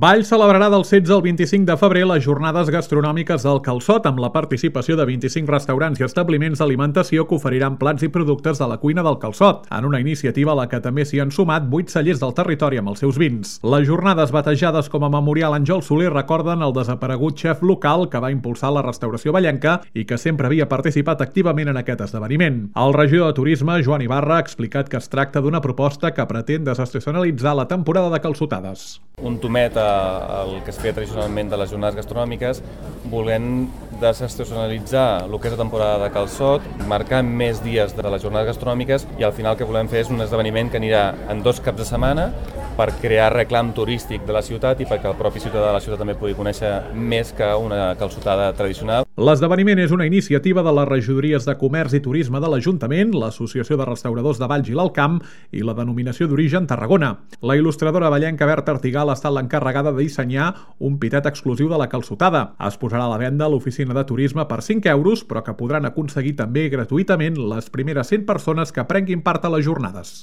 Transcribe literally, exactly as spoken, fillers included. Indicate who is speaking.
Speaker 1: Valls celebrarà del setze al vint-i-cinc de febrer les jornades gastronòmiques del Calçot amb la participació de vint-i-cinc restaurants i establiments d'alimentació que oferiran plats i productes de la cuina del Calçot, en una iniciativa a la que també s'hi han sumat vuit cellers del territori amb els seus vins. Les jornades batejades com a Memorial Àngel Soler recorden el desaparegut xef local que va impulsar la restauració vallenca i que sempre havia participat activament en aquest esdeveniment. El regidor de Turisme, Joan Ibarra, ha explicat que es tracta d'una proposta que pretén desestacionalitzar la temporada de calçotades.
Speaker 2: Un tomet el que es feia tradicionalment de les jornades gastronòmiques, volent desestacionalitzar el que és la temporada de calçot, marcar més dies de les jornades gastronòmiques i al final el que volem fer és un esdeveniment que anirà en dos caps de setmana per crear reclam turístic de la ciutat i perquè el propi ciutadà de la ciutat també pugui conèixer més que una calçotada tradicional.
Speaker 1: L'esdeveniment és una iniciativa de les regidories de Comerç i Turisme de l'Ajuntament, l'Associació de Restauradors de Valls i l'Alt Camp i la denominació d'origen Tarragona. La il·lustradora vallenca Berta Artigal ha estat l'encarregada de dissenyar un pitet exclusiu de la calçotada. Es posarà a la venda a l'oficina de turisme per cinc euros, però que podran aconseguir també gratuïtament les primeres cent persones que prenguin part a les jornades.